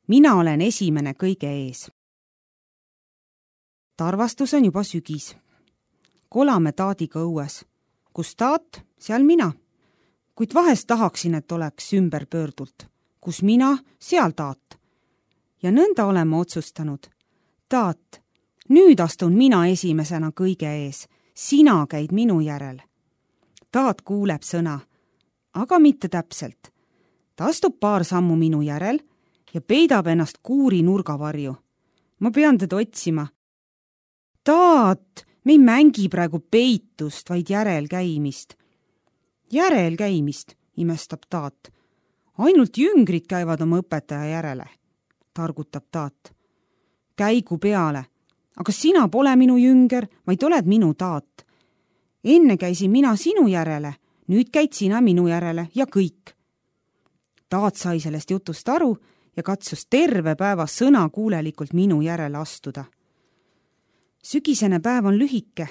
mina olen esimene kõige ees. Tarvastus on juba sügis. Kolame taadiga õues. Kus taat, seal mina. Kuid vahest tahaksin, et oleks ümberpöördult. Kus mina, seal taat. Ja nõnda oleme otsustanud. Taat, nüüd astun mina esimesena kõige ees. Sina käid minu järel. Taat kuuleb sõna, aga mitte täpselt. Ta astub paar sammu minu järel ja peidab ennast kuuri nurgavarju. Ma pean teda otsima. Taat, me ei mängi praegu peitust, vaid järelkäimist. Järelkäimist, imestab taat. Ainult jüngrid käivad oma õpetaja järele, targutab taat. Käigu peale, aga sina pole minu jünger, vaid oled minu taat. Enne käisin mina sinu järele, nüüd käid sina minu järele ja kõik. Taat sai sellest jutust aru ja katsus terve päeva sõnakuulelikult minu järele astuda. Sügisene päev on lühike.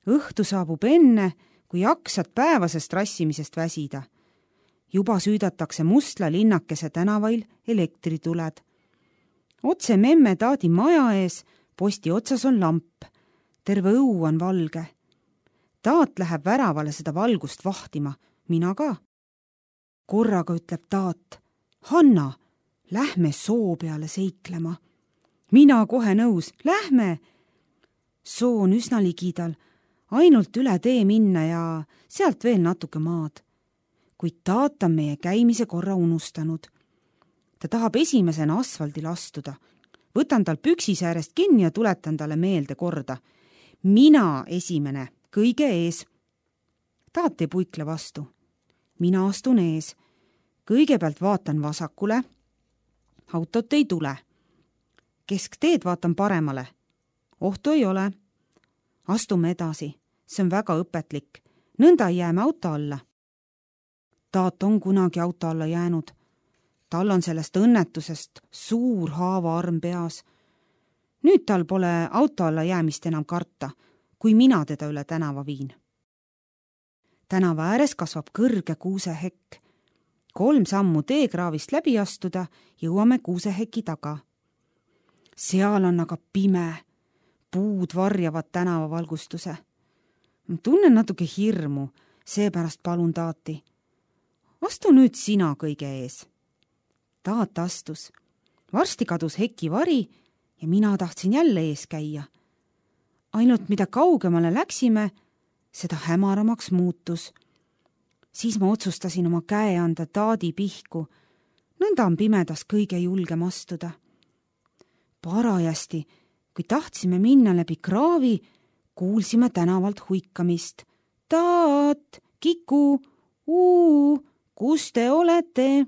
Õhtu saabub enne, kui jaksad päevasest rassimisest väsida. Juba süüdatakse Mustla linnakese tänavail elektrituled. Otse memme taadi maja ees posti otsas on lamp. Terve õu on valge. Taat läheb väravale seda valgust vahtima, mina ka. Korraga ütleb taat, Hanna, lähme soo peale seiklema. Mina kohe nõus, lähme. Soo on üsna ligidal, ainult üle tee minna ja sealt veel natuke maad. Kuid taat on meie käimise korra unustanud. Ta tahab esimesena asfaldil astuda. Võtan tal püksisäärest kinni ja tuletan talle meelde korda. Mina esimene, kõige ees. Taat ei puikle vastu. Mina astun ees. Kõigepealt vaatan vasakule. Autot ei tule. Keskteed vaatan paremale. Ohtu ei ole. Astume edasi. See on väga õpetlik. Nõnda jääme auto alla. Taat on kunagi auto alla jäänud. Tal on sellest õnnetusest suur haavaarm peas. Nüüd tal pole auto alla jäämist enam karta, kui mina teda üle tänava viin. Tänava ääres kasvab kõrge kuusehekk. 3 sammu teekraavist läbi astuda, jõuame kuuseheki taga. Seal on aga pime. Puud varjavad tänavavalgustuse. Tunnen natuke hirmu, seepärast palun taati. Astu nüüd sina kõige ees. Taat astus. Varsti kadus heki vari ja mina tahtsin jälle ees käia. Ainult mida kaugemale läksime, seda hämaramaks muutus. Siis ma otsustasin oma käe anda taadi pihku. Nõnda on pimedas kõige julgem astuda. Parajasti, kui tahtsime minna läbi kraavi, kuulsime tänavalt huikamist. Taat, Kiku, kus te olete?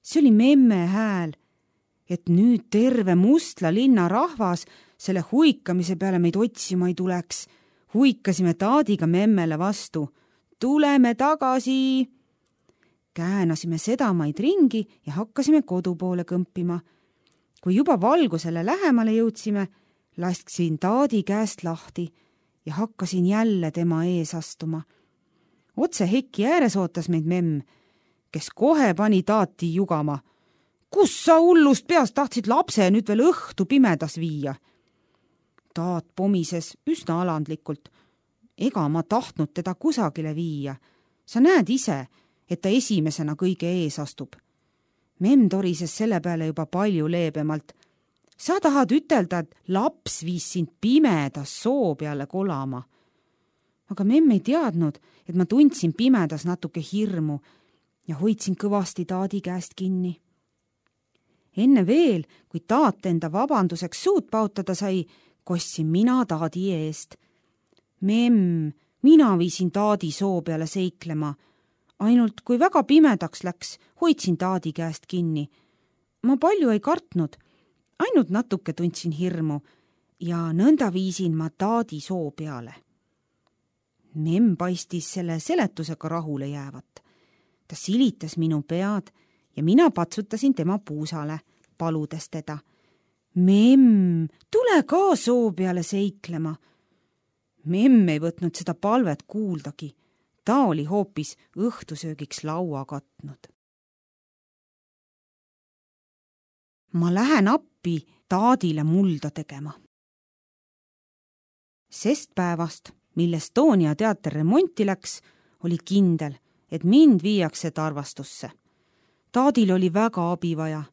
See oli memme hääl, et nüüd terve Mustla linna rahvas selle huikamise peale meid otsima ei tuleks. Huikasime taadiga memmele vastu. Tuleme tagasi! Käänasime sedamaid ringi ja hakkasime kodu poole kõmpima. Kui juba valgusele lähemale jõudsime, lasksin taadi käest lahti ja hakkasin jälle tema ees astuma. Otse heki ääres ootas meid memm, kes kohe pani taati jugama. Kus sa hullust peast tahtsid lapse nüüd veel õhtu pimedas viia? Taat pomises üsna alandlikult. Ega ma tahtnud teda kusagile viia. Sa näed ise, et ta esimesena kõige ees astub. Memm torises selle peale juba palju leebemalt. Sa tahad ütelda, et laps viis sind pimedas soo peale kolama. Aga memm ei teadnud, et ma tundsin pimedas natuke hirmu ja hoidsin kõvasti taadi käest kinni. Enne veel, kui taat enda vabanduseks suud pautada sai, kostsin mina taadi eest. Memm, mina viisin taadi soo peale seiklema. Ainult kui väga pimedaks läks, hoidsin taadi käest kinni. Ma palju ei kartnud, ainult natuke tundsin hirmu ja nõnda viisin ma taadi soo peale. Memm paistis selle seletusega rahule jäävat. Ta silitas minu pead ja mina patsutasin tema puusale, paludes teda. Memm, tule ka soo peale seiklema. Memm ei võtnud seda palvet kuuldagi. Ta oli hoopis õhtusöögiks laua katnud. Ma lähen appi taadile mulda tegema. Sest päevast, mil Estonia teater remonti läks, oli kindel, et mind viiakse Tarvastusse. Taadil oli väga abi vaja.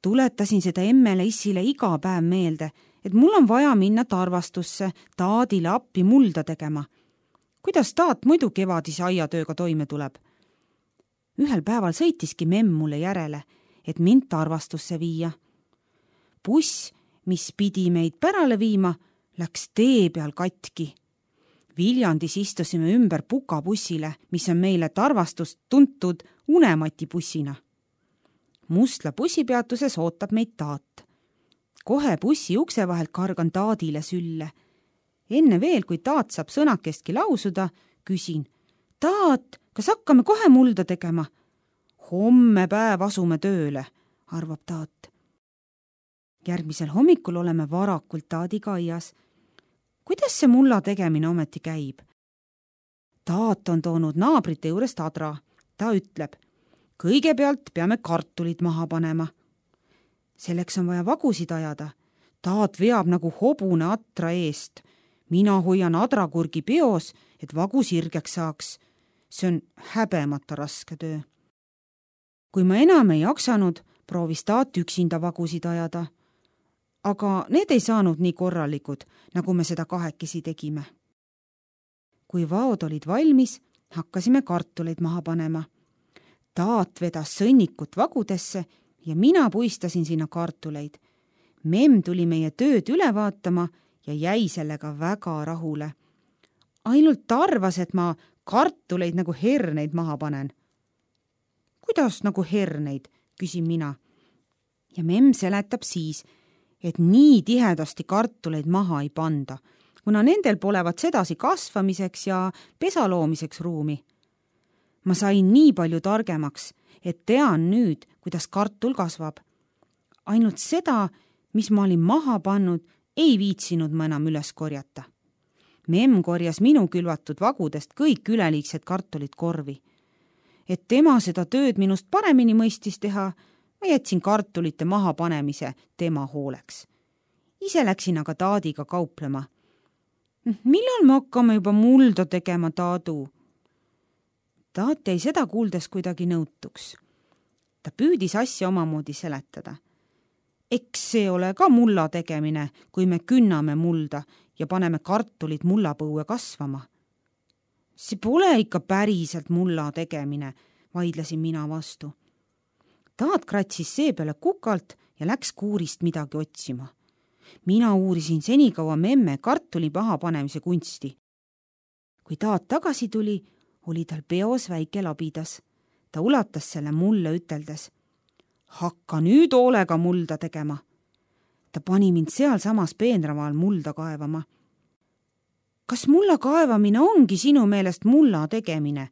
Tuletasin seda emmele issile iga päev meelde, et mul on vaja minna Tarvastusse taadile appi mulda tegema. Kuidas taat muidu kevadise aiatööga toime tuleb? Ühel päeval sõitiski memm mulle järele, et mind Tarvastusse viia. Buss, mis pidi meid pärale viima, läks tee peal katki. Viljandis istusime ümber Pukabussile, mis on meile Tarvastust tuntud Unemati bussina. Mustla bussipeatuses ootab meid taat. Kohe bussi ukse vahelt kargan taadile sülle. Enne veel, kui taat saab sõnakestki lausuda, küsin, taat, kas hakkame kohe mulda tegema? Homme päev asume tööle, arvab taat. Järgmisel hommikul oleme varakult taadiga aias. Kuidas see mulla tegemine ometi käib? Taat on toonud naabrite juurest adra. Ta ütleb, kõigepealt peame kartulid maha panema. Selleks on vaja vagusid ajada. Taat veab nagu hobune atra eest. Mina hoian adrakurgi peos, et vagu sirgeks saaks. See on häbemata raske töö. Kui ma enam ei jaksanud, proovis taat üksinda vagusid ajada. Aga need ei saanud nii korralikud, nagu me seda kahekesi tegime. Kui vaod olid valmis, hakkasime kartuleid maha panema. Taat vedas sõnnikut vagudesse ja mina puistasin sinna kartuleid. Memm tuli meie tööd üle vaatama ja jäi sellega väga rahule. Ainult arvas, et ma kartuleid nagu herneid maha panen. Kuidas nagu herneid, küsin mina. Ja memm seletab siis, et nii tihedasti kartuleid maha ei panda, kuna nendel polevat sedasi kasvamiseks ja pesa loomiseks ruumi. Ma sain nii palju targemaks, et tean nüüd, kuidas kartul kasvab. Ainult seda, mis ma olin maha pannud, ei viitsinud ma enam üles korjata. Memm korjas minu külvatud vagudest kõik üleliigsed kartulid korvi. Et tema seda tööd minust paremini mõistis teha, ma jätsin kartulite maha panemise tema hooleks. Ise läksin aga taadiga kauplema. Millal me hakkame juba mulda tegema, taadu? Taat jäi seda kuuldes kuidagi nõutuks. Ta püüdis asja omamoodi seletada. Eks see ole ka mulla tegemine, kui me künname mulda ja paneme kartulid mullapõue kasvama. See pole ikka päriselt mulla tegemine, vaidlesin mina vastu. Taat kratsis see peale kukalt ja läks kuurist midagi otsima. Mina uurisin senikaua memme kartuli maha panemise kunsti. Kui taat tagasi tuli, oli tal peos väike labidas. Ta ulatas selle mulle üteldes. Hakka nüüd hoolega mulda tegema. Ta pani mind sealsamas peenramaal mulda kaevama. Kas mulla kaevamine ongi sinu meelest mulla tegemine?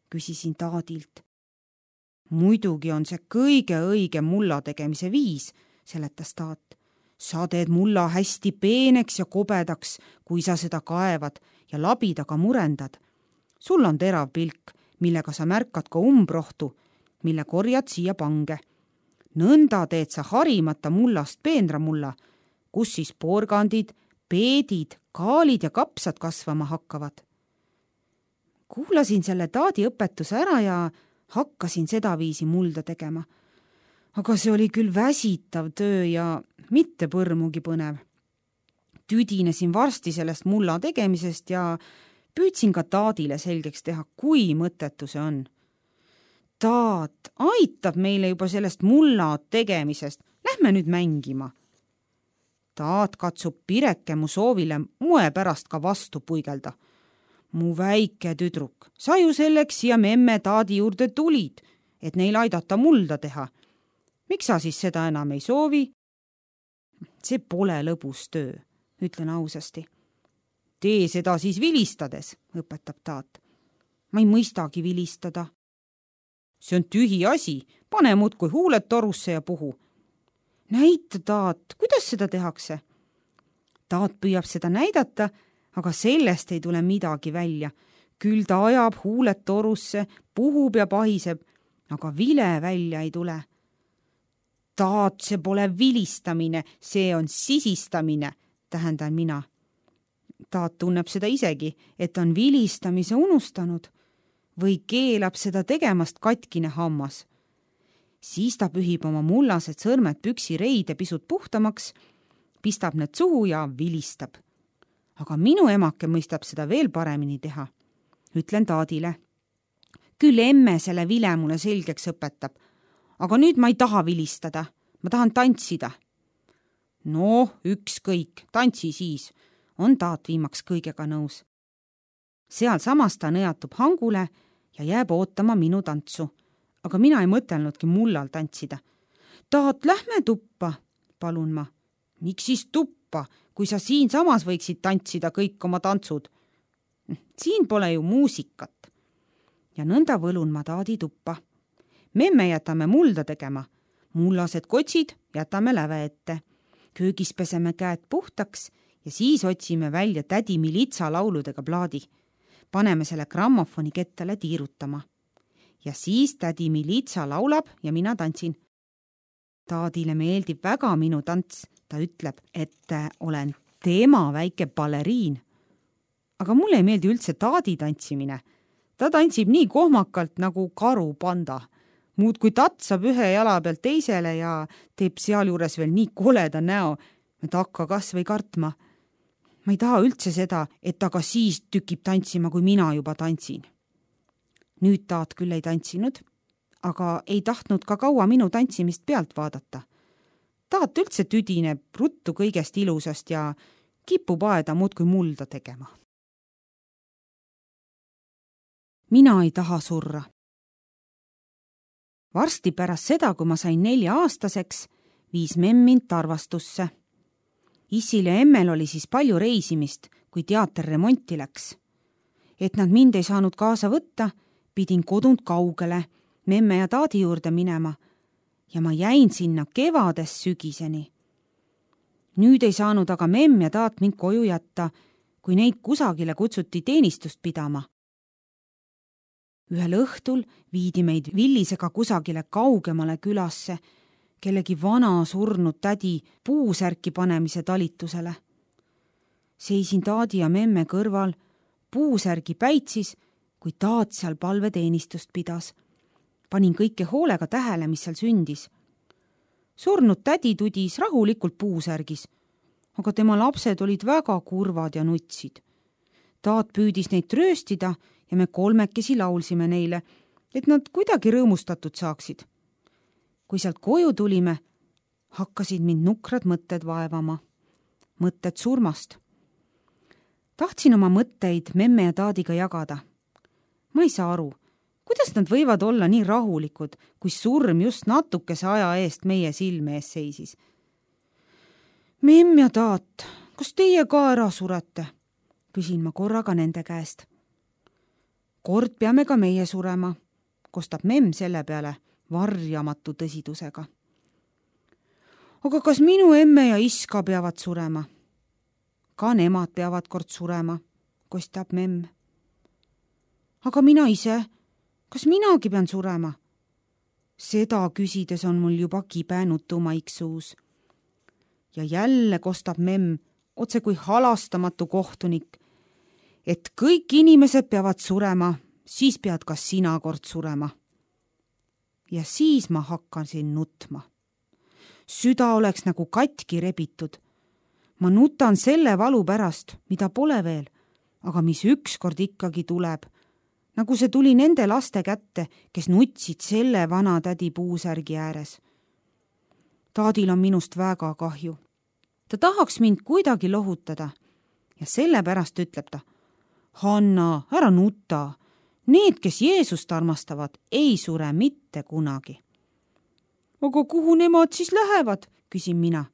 Küsisin taadilt. Muidugi on see kõige õigem mulla tegemise viis, seletas taat. Sa teed mulla hästi peeneks ja kobedaks, kui sa seda kaevad ja labidaga murendad. Sul on terav pilk, millega sa märkad ka umbrohtu, mille korjad siia pange. Nõnda teed sa harimata mullast peenramulla, kus siis porgandid, peedid, kaalid ja kapsad kasvama hakkavad. Kuulasin selle taadi õpetuse ära ja hakkasin sedaviisi mulda tegema. Aga see oli küll väsitav töö ja mitte põrmugi põnev. Tüdinesin varsti sellest mulla tegemisest ja püüdsin ka taadile selgeks teha, kui mõttetu see on. Taat aitab meile juba sellest mulla tegemisest. Lähme nüüd mängima. Taat katsub Pireke mu soovile moe pärast ka vastu puigelda. Mu väike tüdruk, sa ju selleks siia memme taadi juurde tulid, et neil aidata mulda teha. Miks sa siis seda enam ei soovi? See pole lõbus töö, ütlen ausasti. Tee seda siis vilistades, õpetab taat. Ma ei mõistagi vilistada. See on tühi asi, pane muudkui huuled torusse ja puhu. Näita, taat, kuidas seda tehakse? Taat püüab seda näidata, aga sellest ei tule midagi välja. Küll ta ajab huuled torusse, puhub ja pahiseb, aga vile välja ei tule. Taat, see pole vilistamine, see on sisistamine, tähendan mina. Taat tunneb seda isegi, et on vilistamise unustanud või keelab seda tegemast katkine hammas. Siis ta pühib oma mullased sõrmed püksireide pisut puhtamaks, pistab need suhu ja vilistab. Aga minu emake mõistab seda veel paremini teha. Ütlen Taadile. Küll emme selle vile mulle selgeks õpetab, aga nüüd ma ei taha vilistada, ma tahan tantsida. No, ükskõik, tantsi siis, on Taat viimaks kõigega nõus. Seal samas ta nõjatub hangule ja jääb ootama minu tantsu, aga mina ei mõtelnudki mullal tantsida. Taat, lähme tuppa, palun ma. Miks siis tuppa, kui sa siin samas võiksid tantsida kõik oma tantsud? Siin pole ju muusikat. Ja nõnda võlun ma Taadi tuppa. Memme jätame mulda tegema. Mullased kotsid jätame läve ette. Köögis peseme käed puhtaks ja siis otsime välja tädi Militsa lauludega plaadi. Paneme selle grammofoni kettale tiirutama. Ja siis tädi Militsa laulab ja mina tantsin. Taadile meeldib väga minu tants. Ta ütleb, et olen tema väike baleriin. Aga mulle ei meeldi üldse Taadi tantsimine. Ta tantsib nii kohmakalt nagu karupanda. Muud kui tatsab ühe jala pealt teisele ja teeb sealjuures veel nii koleda näo, et hakka kas või kartma. Ma ei taha üldse seda, et ta ka siis tükib tantsima, kui mina juba tantsin. Nüüd Taat küll ei tantsinud, aga ei tahtnud ka kaua minu tantsimist pealt vaadata. Taat üldse tüdineb ruttu kõigest ilusast ja kipub aeda muudkui mulda tegema. Mina ei taha surra. Varsti pärast seda, kui ma sain 4-aastaseks, viis memm mind Tarvastusse. Issil ja emmel oli siis palju reisimist, kui teater remonti läks. Et nad mind ei saanud kaasa võtta, pidin kodunt kaugele, memme ja Taadi juurde minema ja ma jäin sinna kevadest sügiseni. Nüüd ei saanud aga memm ja Taat mind koju jätta, kui neid kusagile kutsuti teenistust pidama. Ühel õhtul viidi meid Villisega kusagile kaugemale külasse, kellegi vana surnud tädi puusärki panemise talitusele. Seisin Taadi ja memme kõrval, puusärgi päitsis, kui Taat seal palveteenistust pidas. Panin kõike hoolega tähele, mis seal sündis. Surnud tädi tudis rahulikult puusärgis, aga tema lapsed olid väga kurvad ja nutsid. Taat püüdis neid trööstida ja me kolmekesi laulsime neile, et nad kuidagi rõõmustatud saaksid. Kui sealt koju tulime, hakkasid mind nukrad mõtted vaevama. Mõtted surmast. Tahtsin oma mõtteid memme ja Taadiga jagada. Ma ei saa aru, kuidas nad võivad olla nii rahulikud, kui surm just natukese aja eest meie silme ees seisis. Memm ja Taat, kas teie ka ära surete? Küsin ma korraga nende käest. Kord peame ka meie surema, kostab memm selle peale varjamatu tõsidusega. Aga kas minu emme ja iska peavad surema? Ka nemad peavad kord surema, kostab memm. Aga mina ise, kas minagi pean surema? Seda küsides on mul juba kibe nutumaik suus. Ja jälle kostab memm, otse kui halastamatu kohtunik, et kõik inimesed peavad surema, siis pead ka sina kord surema. Ja siis ma hakkasin nutma. Süda oleks nagu katki rebitud. Ma nutan selle valu pärast, mida pole veel, aga mis ükskord ikkagi tuleb, nagu see tuli nende laste kätte, kes nutsid selle vana tädi puusärgi ääres. Taadil on minust väga kahju. Ta tahaks mind kuidagi lohutada ja sellepärast ütleb ta, Hanna, ära nuta. Need, kes Jeesust armastavad, ei sure mitte kunagi. Aga kuhu nemad siis lähevad, küsin mina.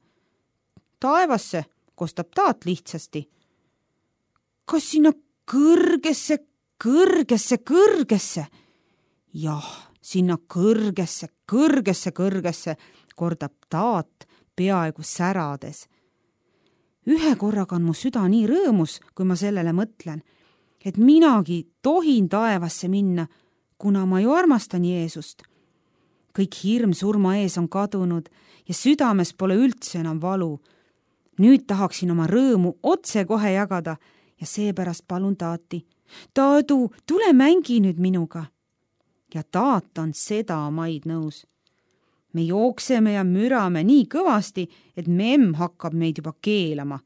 Taevasse, kostab Taat lihtsasti. Kas sinna kõrgesse? Jah, sinna kõrgesse, kordab Taat peaaegu särades. Ühe korraga on mu süda nii rõõmus, kui ma sellele mõtlen, et minagi tohin taevasse minna, kuna ma ju armastan Jeesust. kõik hirm surma ees on kadunud ja südames pole üldse enam valu. Nüüd tahaksin oma rõõmu otse kohe jagada ja seepärast palun taati. Taadu, tule mängi nüüd minuga. Ja taat on seda maid nõus. Me jookseme ja mürame nii kõvasti, et memm hakkab meid juba keelama.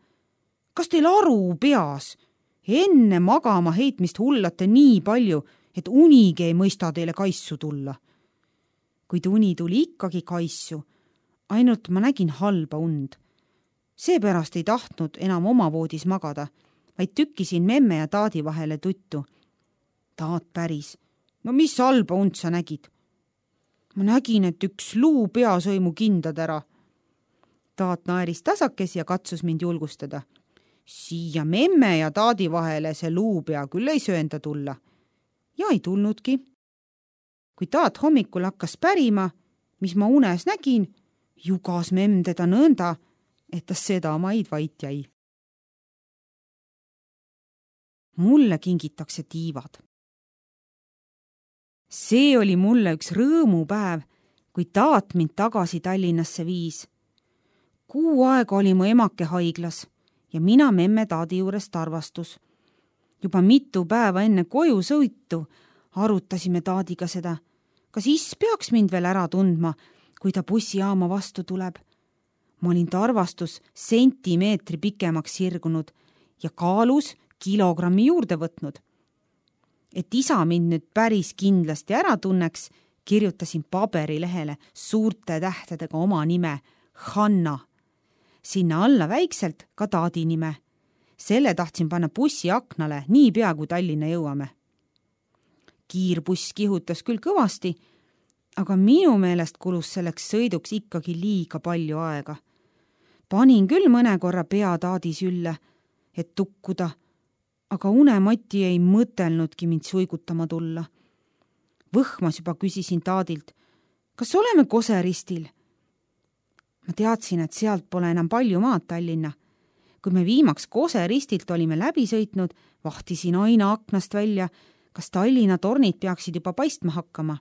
Kas teil aru peas? Enne magama heitmist hullate nii palju, et unigi ei mõista teile kaissu tulla. Kuid uni tuli ikkagi kaissu, ainult ma nägin halba und. Seepärast ei tahtnud enam oma voodis magada, vaid tükkisin memme ja taadi vahele tuttu. Taat päris. No mis halba und sa nägid? Ma nägin, et üks luu pea sõi mu kindad ära. Taat naeris tasakes ja katsus mind julgustada. Siia memme ja taadi vahele see luupea küll ei söönda tulla. Ja ei tulnudki. Kui taat hommikul hakkas pärima, mis ma unes nägin, jugas memm teda nõnda, et ta seda maid vait jäi. Mulle kingitakse tiivad. See oli mulle üks rõõmupäev, kui taat mind tagasi Tallinnasse viis. Kuu aega oli mu emake haiglas ja mina memme taadi juurest arvastus. Juba mitu päeva enne koju sõitu arutasime taadiga seda, kas is peaks mind veel ära tundma, kui ta bussijaama vastu tuleb. Ma olin ta arvastus sentimeetri pikemaks sirgunud ja kaalus kilogrammi juurde võtnud. Et isa mind nüüd päris kindlasti ära tunneks, kirjutasin paberilehele suurte tähtedega oma nime, Hanna. Sinna alla väikselt ka taadi nime. Selle tahtsin panna bussi aknale nii pea, kui Tallinna jõuame. Kiirbuss kihutas küll kõvasti, aga minu meelest kulus selleks sõiduks ikkagi liiga palju aega. Panin küll mõne korra pea taadi sülle, et tukkuda, aga unemati ei mõtelnudki mind suigutama tulla. Võhmas juba küsisin taadilt, kas oleme Koseristil? Ma teadsin, et sealt pole enam palju maad Tallinna. Kui me viimaks Koseristilt olime läbi sõitnud, vahtisin aina aknast välja, kas Tallinna tornid peaksid juba paistma hakkama.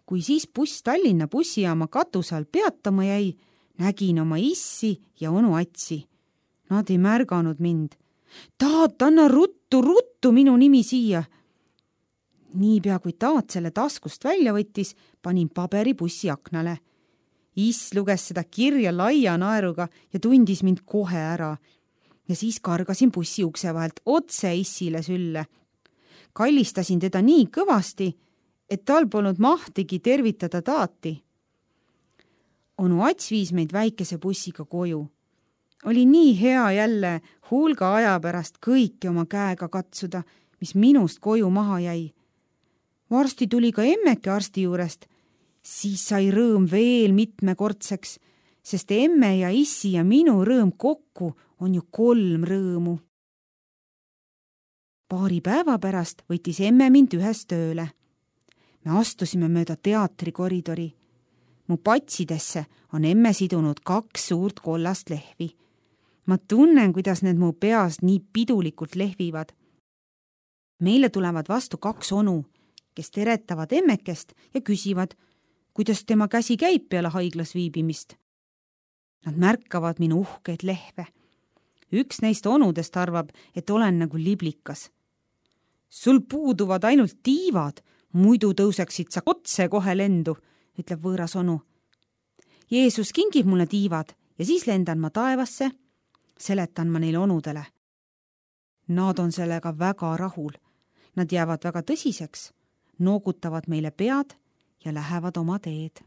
Kui siis buss Tallinna bussijaama katuse all peatama jäi, nägin oma issi ja onu Atsi. Nad ei märganud mind. Taat, anna ruttu minu nimi siia. Niipea kui taat selle taskust välja võttis, panin paberi bussi aknale. Is luges seda kirja laia naeruga ja tundis mind kohe ära. Ja siis kargasin bussi ukse vahelt otse issile sülle. Kallistasin teda nii kõvasti, et tal polnud mahtigi tervitada taati. Onu Ats viis meid väikese bussiga koju. Oli nii hea jälle hulga aja pärast kõike oma käega katsuda, mis minust koju maha jäi. Varsti tuli ka emmeke arsti juurest. Siis sai rõõm veel mitmekordseks, sest emme ja issi ja minu rõõm kokku on ju 3 rõõmu. Paari päeva pärast võttis emme mind ühes tööle. Me astusime mööda teatri koridori. Mu patsidesse on emme sidunud 2 suurt kollast lehvi. Ma tunnen, kuidas need mu peas nii pidulikult lehvivad. Meile tulevad vastu 2 onu, kes teretavad emmekest ja küsivad, kuidas tema käsi käib peale haiglas viibimist. Nad märkavad minu uhkeid lehve. Üks neist onudest arvab, et olen nagu liblikas. Sul puuduvad ainult tiivad, muidu tõuseksid sa otse kohe lendu, ütleb võõras onu. Jeesus kingib mulle tiivad ja siis lendan ma taevasse, seletan ma neile onudele. Nad on sellega väga rahul. Nad jäävad väga tõsiseks, noogutavad meile pead ja lähevad oma teed.